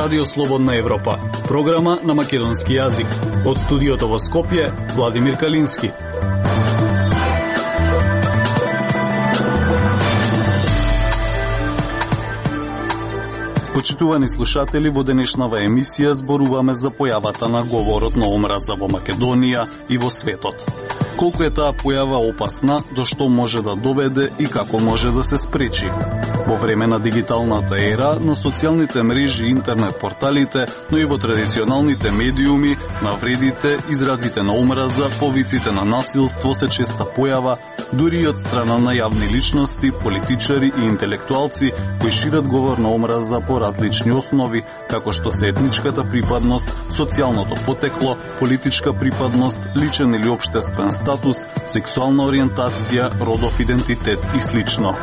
Радио Слободна Европа, програма на македонски јазик. Од студиото во Скопје, Владимир Калински. Почитувани слушатели, во денешнава емисија зборуваме за појавата на говорот на омраза во Македонија и во светот. Колку е таа појава опасна, до што може да доведе и како може да се спречи. Во време на дигиталната ера, на социјалните мрежи и интернет порталите, но и во традиционалните медиуми, навредите, изразите на омраза, повиците на насилство се честа појава, дури и од страна на јавни личности, политичари и интелектуалци кои шират говор на омраза по различни основи, како што се етничката припадност, социјалното потекло, политичка припадност, личен или општествен статус, сексуална ориентација, родов идентитет и слично.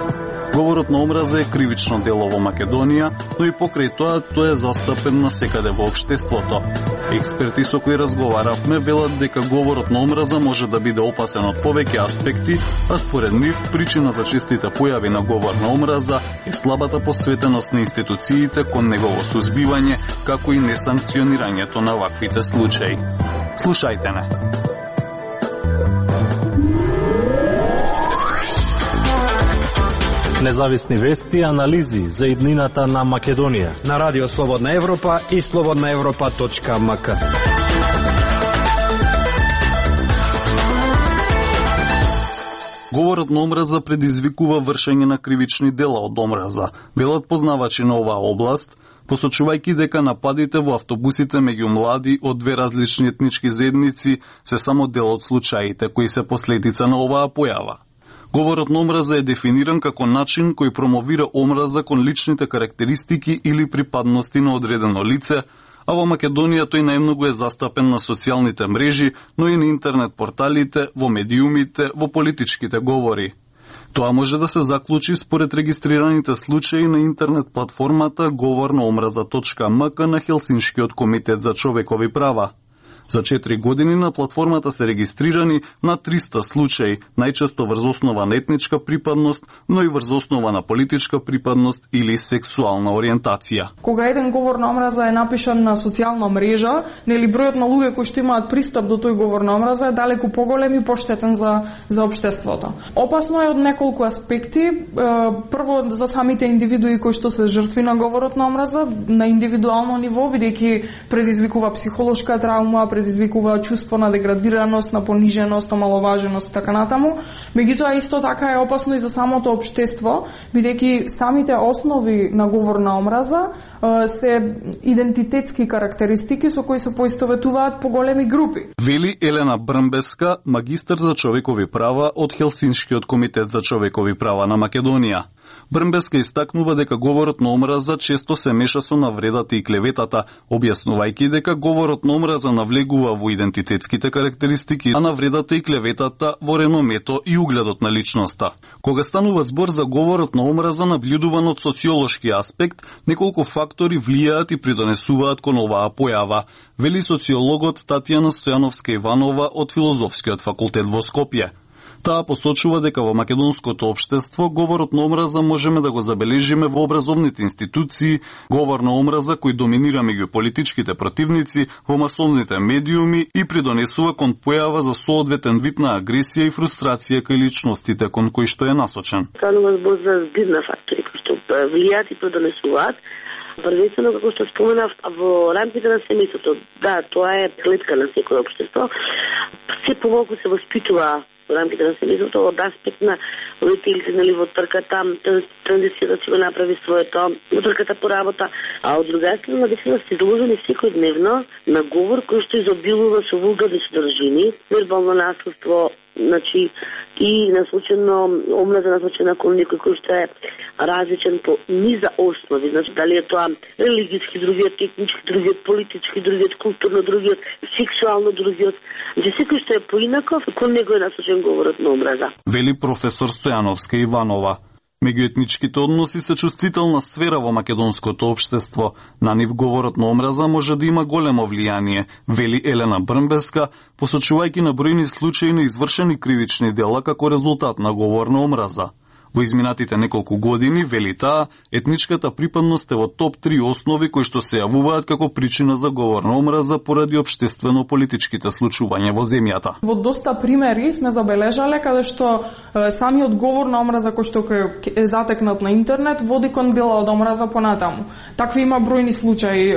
Говорот на омраза е кривично дело во Македонија, но и покрај тоа тој е застапен насекаде во општеството. Експерти со кои разговаравме велат дека говорот на омраза може да биде опасен од повеќе аспекти, а според нив причина за честите појави на говор на омраза е слабата посветеност на институциите кон негово сузбивање, како и несанкционирањето на ваквите случаи. Слушајте не. Независни вести и анализи за иднината на Македонија на Радио Слободна Европа и slobodnaevropa.mk. Говорот на омраза предизвикува вршење на кривични дела од омраза, велат познавачи на оваа област, посочувајќи дека нападите во автобусите меѓу млади од две различни етнички заедници се само дел од случаите кои се последица на оваа појава. Говорот на омраза е дефиниран како начин кој промовира омраза кон личните карактеристики или припадности на одредено лице, а во Македонија тој најмногу е застапен на социјалните мрежи, но и на интернет порталите, во медиумите, во политичките говори. Тоа може да се заклучи според регистрираните случаи на интернет платформата говорноомраза.mk на Хелсиншкиот комитет за човекови права. За 4 години на платформата се регистрирани на 300 случаи, најчесто врз основа на етничка припадност, но и врз основа на политичка припадност или сексуална ориентација. Кога еден говор на омраза е напишан на социјална мрежа, нели бројот на луѓе кои што имаат пристап до тој говор на омраза е далеку поголем и поштетен за општеството. Опасно е од неколку аспекти. Прво за самите индивидуи кои што се жртви на говорот на омраза на индивидуално ниво, бидејќи предизвикува психолошка травма, предизвикува чувство на деградираност, на пониженост, омаловаженост и така натаму. Меѓутоа исто така е опасно и за самото општество, бидејќи самите основи на говор на омраза се идентитетски карактеристики со кои се поистоветуваат по големи групи. Вели Елена Брмбеска, магистар за човекови права од Хелсиншкиот комитет за човекови права на Македонија. Брмбеска истакнува дека говорот на омраза често се меша со навредата и клеветата, објаснувајќи дека говорот на омраза навлегува во идентитетските карактеристики, а навредата и клеветата во реномето и угледот на личноста. Кога станува збор за говорот на омраза набљудуван од социолошки аспект, неколку фактори влијаат и придонесуваат кон оваа појава, вели социологот Татјана Стојановска-Иванова од Филозофскиот факултет во Скопје. Таа посочува дека во македонското општество говорот на омраза можеме да го забележиме во образовните институции, говор на омраза кој доминира меѓу политичките противници, во масовните медиуми и придонесува кон појава за соодветен вид на агресија и фрустрација кај личностите кон кои што е насочен. Станува збор за збирна фактори кои што влијаат и придонесуваат. Првенствено, како што споменав, во рамките на семејството, да, тоа е клетка на секој општество. Се помалку се воспитува во рамките на семејството од аспект на родителите, нели, во трката, транзицијата ќе го направи своето, во трката по работа, а од друга страна наистина се изложени секојдневно на говор кој што изобилува со вулгарни содржини, вербално насилство, значи и насочено омраза насочена кон некој кој што е различен по низа основи, значи дали е тоа религиски, другиот етнички, другиот политички, другиот културно, другиот сексуално, другиот, значи секој што е поинаков, кон него е насочен говорот на омраза. Вели професор Стојановска-Иванова. Меѓуетничките односи се чувствителна сфера во македонското општество. На нив говорот на омраза може да има големо влијание, вели Елена Брмбеска, посочувајќи на бројни случаи на извршени кривични дела како резултат на говор на омраза. Во изминатите неколку години, вели таа, етничката припадност е во топ 3 основи кои што се јавуваат како причина за говор на омраза поради општествено-политичките случувања во земјата. Во доста примери сме забележале каде што самиот говор на омраза кој што е затекнат на интернет води кон дела од омраза понатаму. Такви има бројни случаи,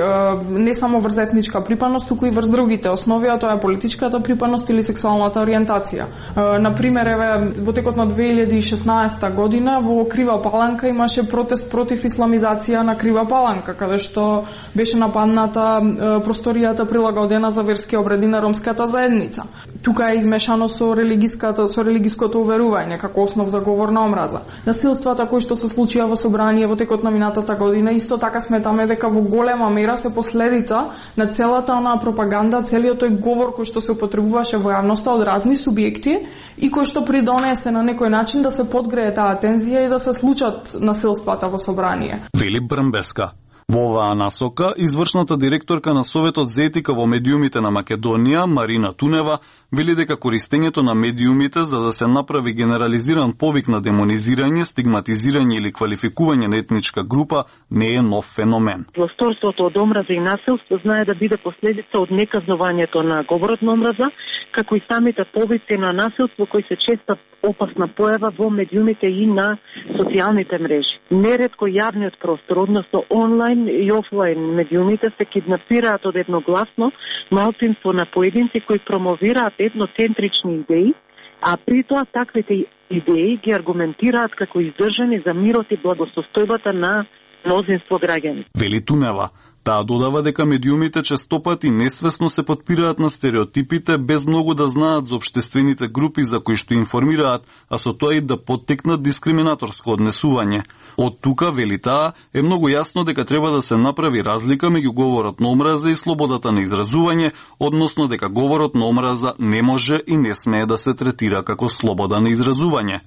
не само врз етничка припадност, туку и врз другите основи, а тоа е политичката припадност или сексуалната ориентација. На пример, еве во текот на 2016 година во Крива Паланка имаше протест против исламизација на Крива Паланка, каде што беше нападната просторијата прилагодена за верски обреди на ромската заедница. Тука е измешано со религиското уверување како основ за говор на омраза. Насилствата кои што се случија во собрание во текот на минатата година исто така сметаме дека во голема мера се последица на целата онаа пропаганда, целиот тој говор кој што се употребуваше во јавноста од разни субјекти и кој што придонесе на некој начин да се подгрее таа тензија и да се случат насилствата во собрание. Вели Брмбеска. Во оваа насока, извршната директорка на Советот за етика во медиумите на Македонија, Марина Тунева, вели дека користењето на медиумите за да се направи генерализиран повик на демонизирање, стигматизирање или квалификување на етничка група не е нов феномен. Власторството од омраза и насилство знае да биде последица од неказнувањето на говорот на омраза, како и самите повици на насилство кои се честа опасна појава во медиумите и на социјалните мрежи. Неретко јавниот простор, односно онлайн и офлайн медиумите се киднапираат од едногласно малцинство на поединци кои промовираат етноцентрични идеи, а при тоа таквите идеи ги аргументираат како издржани за мирот и благосостојбата на мнозинство граѓани. Вели Тунева. Таа додава дека медиумите честопати несвесно се потпираат на стереотипите без многу да знаат за општествените групи за кои што информираат, а со тоа и да поттекнат дискриминаторско однесување. Од тука, вели таа, е многу јасно дека треба да се направи разлика меѓу говорот на омраза и слободата на изразување, односно дека говорот на омраза не може и не смее да се третира како слобода на изразување.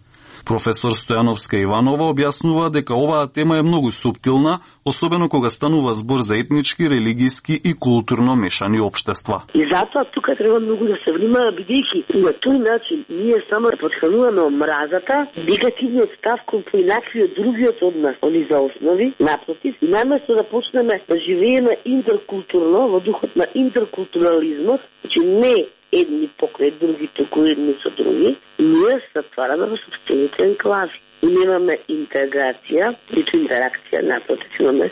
Професор Стојановска Иванова објаснува дека оваа тема е многу суптилна, особено кога станува збор за етнички, религиски и културно мешани општества. И затоа тука треба многу да се внимава, бидејќи на тој начин ние само подхрануваме омразата, негативниот став кон поинакви од другиот од нас, они за основи, напротив, и наместо да почнеме да живееме интеркултурно, во духот на интеркултурализмот, значи не едни покрај други, туку едни со други, ние се затвараме во собствените енклави. И немаме интеграција, ниту интеракција, напротив, имаме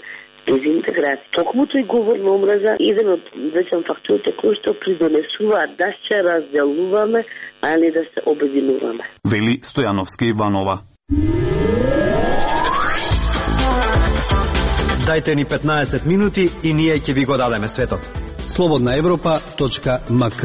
дезинтеграција. Токму тој говор на омраза еден од вечен факторите кои што придонесуваат да се разделуваме, а не да се обединуваме. Вели Стојановска Иванова. Дајте ни 15 минути и ние ќе ви го дадеме светот. slobodnaevropa.mk.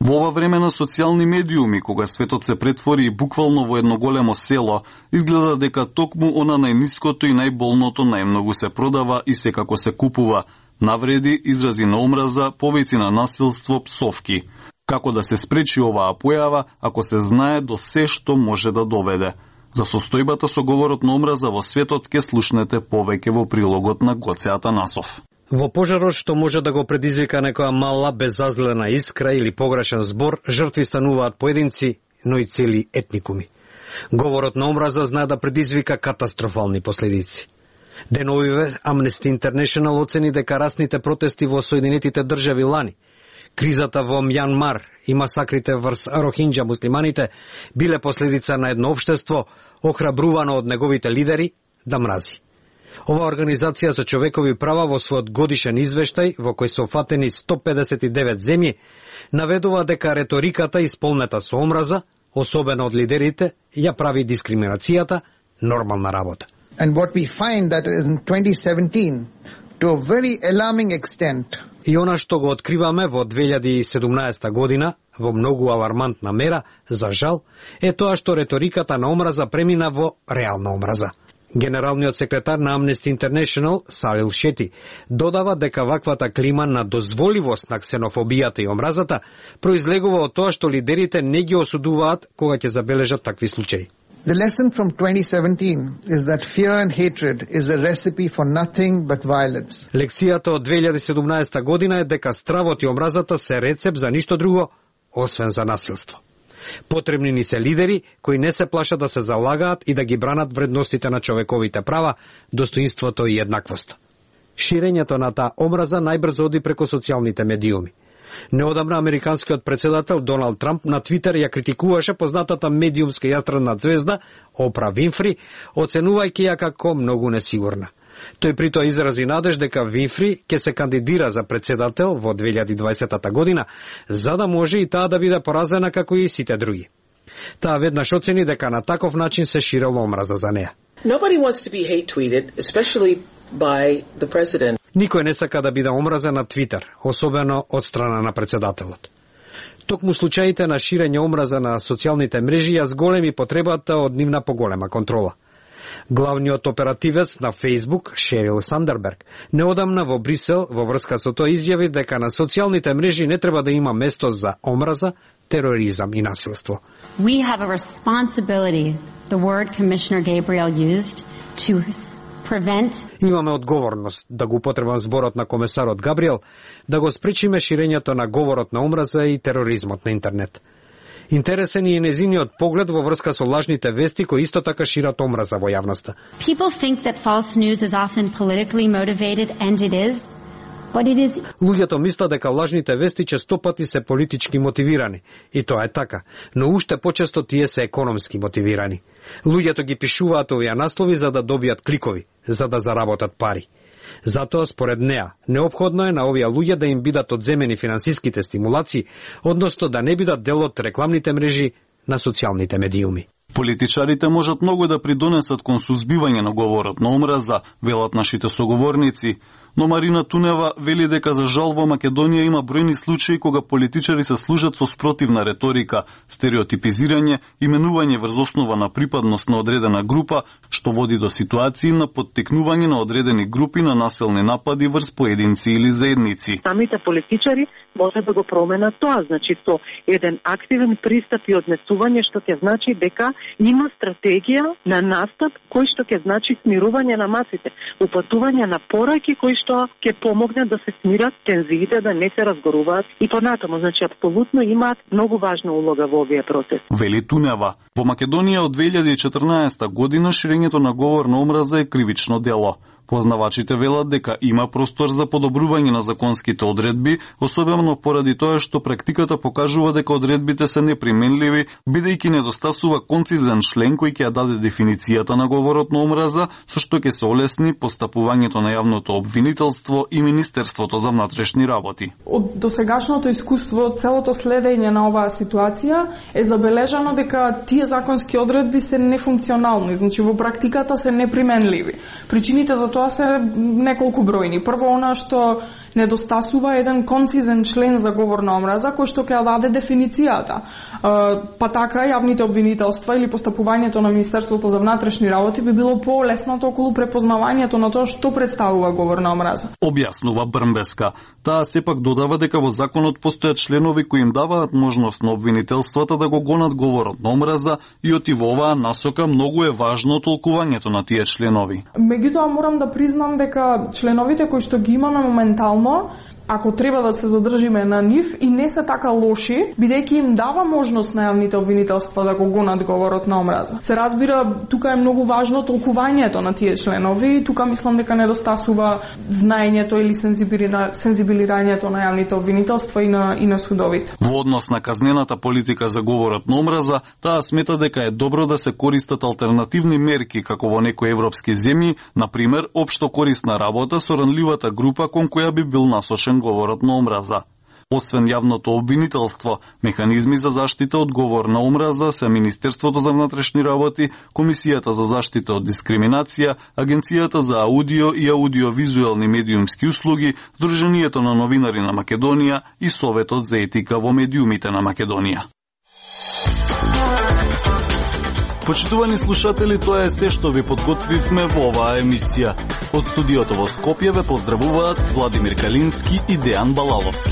Во ова време на социјални медиуми, кога светот се претвори буквално во едно големо село, изгледа дека токму она најниското и најболното најмногу се продава и секако се купува. Навреди, изрази на омраза, повици на насилство, псовки. Како да се спречи оваа појава, ако се знае до се што може да доведе? За состојбата со говорот на омраза во светот ке слушнете повеќе во прилогот на Гоце Атанасов. Во пожарот што може да го предизвика некоја мала, безазлена искра или погрешен збор, жртви стануваат поединци, но и цели етникуми. Говорот на омраза знае да предизвика катастрофални последици. Деновиве Amnesty International оцени дека расните протести во Соединетите држави лани, кризата во Мјанмар и масакрите врз рохинџа муслиманите биле последица на едно општество охрабрувано од неговите лидери да мрази. Ова организација за човекови права во својот годишен извештај, во кој се офатени 159 земји, наведува дека реториката исполнета со омраза, особено од лидерите, ја прави дискриминацијата нормална работа. And what we find that in 2017, to a very alarming extent, и она што го откриваме во 2017 година, во многу алармантна мера, за жал, е тоа што реториката на омраза премина во реална омраза. Генералниот секретар на Amnesty International, Салил Шети, додава дека ваквата клима на дозволивост на ксенофобијата и омразата произлегува од тоа што лидерите не ги осудуваат кога ќе забележат такви случаи. The lesson from 2017 is that fear and hatred is a recipe for nothing but violence. Лекцијата од 2017 година е дека стравот и омразата се рецеп за ништо друго, освен за насилство. Потребни ни се лидери кои не се плашат да се залагаат и да ги бранат вредностите на човековите права, достоинството и еднаквост. Ширењето на таа омраза најбрзо оди преку социјалните медиуми. Неодамна американскиот председател Доналд Трамп на Твитер ја критикуваше познатата медиумска јастрадна звезда Опра Винфри, оценувајќи ја како многу несигурна. Тој притоа изрази надеж дека Винфри ќе се кандидира за председател во 2020 година, за да може и таа да биде поразена како и сите други. Таа веднаш оцени дека на таков начин се ширела омраза за неа. Nobody wants to be hate tweeted, especially by the president. Никој не сака да биде омразен на Твитер, особено од страна на председателот. Токму случаите на ширење омраза на социјалните мрежи ја зголеми потребата од нивна поголема контрола. Главниот оперативец на Facebook, Шерил Сандерберг, неодамна во Брисел во врска со тоа изјави дека на социјалните мрежи не треба да има место за омраза, тероризам и насилство. We have a responsibility, the word Commissioner Gabriel used, to prevent. Имаме одговорност, да го употребам зборот на комесарот Габриел, да го спречиме ширењето на говорот на омраза и тероризмот на интернет. Интересен е и незиниот поглед во врска со лажните вести кои исто така шират омраза во јавноста. People think that false news is often politically motivated, and it is. But it is... Луѓето мислат дека лажните вести често пати се политички мотивирани, и тоа е така, но уште почесто тие се економски мотивирани. Луѓето ги пишуваат овие наслови за да добијат кликови, за да заработат пари. Затоа, според неа, неопходно е на овие луѓе да им бидат одземени финансиските стимулации, односно да не бидат дел од рекламните мрежи на социјалните медиуми. Политичарите можат многу да придонесат кон сузбивање на говорот на омраза, велат нашите соговорници, но Марина Тунева вели дека за жал во Македонија има бројни случаи кога политичари се служат со спротивна реторика, стереотипизирање, именување врз основа на припадност на одредена група, што води до ситуации на поттикнување на одредени групи на населни напади врз поединци или заедници. Самите политичари може да го променат тоа, значи со еден активен пристап и однесување, што ќе значи дека има стратегија на настап кој што ќе значи смирување на масите, упатување на пораки кои што ќе помогнат да се смират тензиите, да не се разгоруваат и понатаму, значи апсолутно имаат многу важна улога во овие процеси. Вели Тунева, во Македонија од 2014 година ширењето на говор на омраза е кривично дело. Познавачите велат дека има простор за подобрување на законските одредби, особено поради тоа што практиката покажува дека одредбите се неприменливи, бидејќи недостасува концизен член кој ќе ја даде дефиницијата на говорот на омраза, со што ќе се олесни постапувањето на јавното обвинителство и Министерството за внатрешни работи. Од досегашното искуство, целото следење на оваа ситуација е забележано дека тие законски одредби се нефункционални, значи во практиката се неприменливи. Причините за тоа се неколку бројни. Прво, она што недостасува еден концизен член за говор на омраза кој што ќе даде дефиницијата. Па така јавните обвинителства или постапувањето на Министерството за внатрешни работи би било полеснато околу препознавањето на тоа што представува говор на омраза. Објаснува Брнбеска. Таа сепак додава дека во законот постојат членови кои им даваат можност на обвинителствата да го гонат говорот на омраза и оти во оваа насока многу е важно толкувањето на тие членови. Меѓутоа морам да признам дека членовите кои што ги имаме моментално, ако треба да се задржиме на нив, и не се така лоши, бидејќи им дава можност на јавните обвинителства да го гонат говорот на омраза. Се разбира, тука е многу важно толкувањето на тие членови, тука мислам дека недостасува знаењето или сензибилирањето на јавните обвинителства и на судовите. Во однос на казнената политика за говорот на омраза, таа смета дека е добро да се користат алтернативни мерки, како во некои европски земји, например, општо корисна работа со ранливата група кон која би бил насочен говорот на омраза. Освен јавното обвинителство, механизми за заштита од говор на омраза се Министерството за внатрешни работи, Комисијата за заштита од дискриминација, Агенцијата за аудио и аудиовизуелни медиумски услуги, Сдруженијето на новинари на Македонија и Советот за етика во медиумите на Македонија. Почитувани слушатели, тоа е се што ви подготвивме во оваа емисија. Од студиото во Скопје ве поздравуваат Владимир Калински и Дејан Балаловски.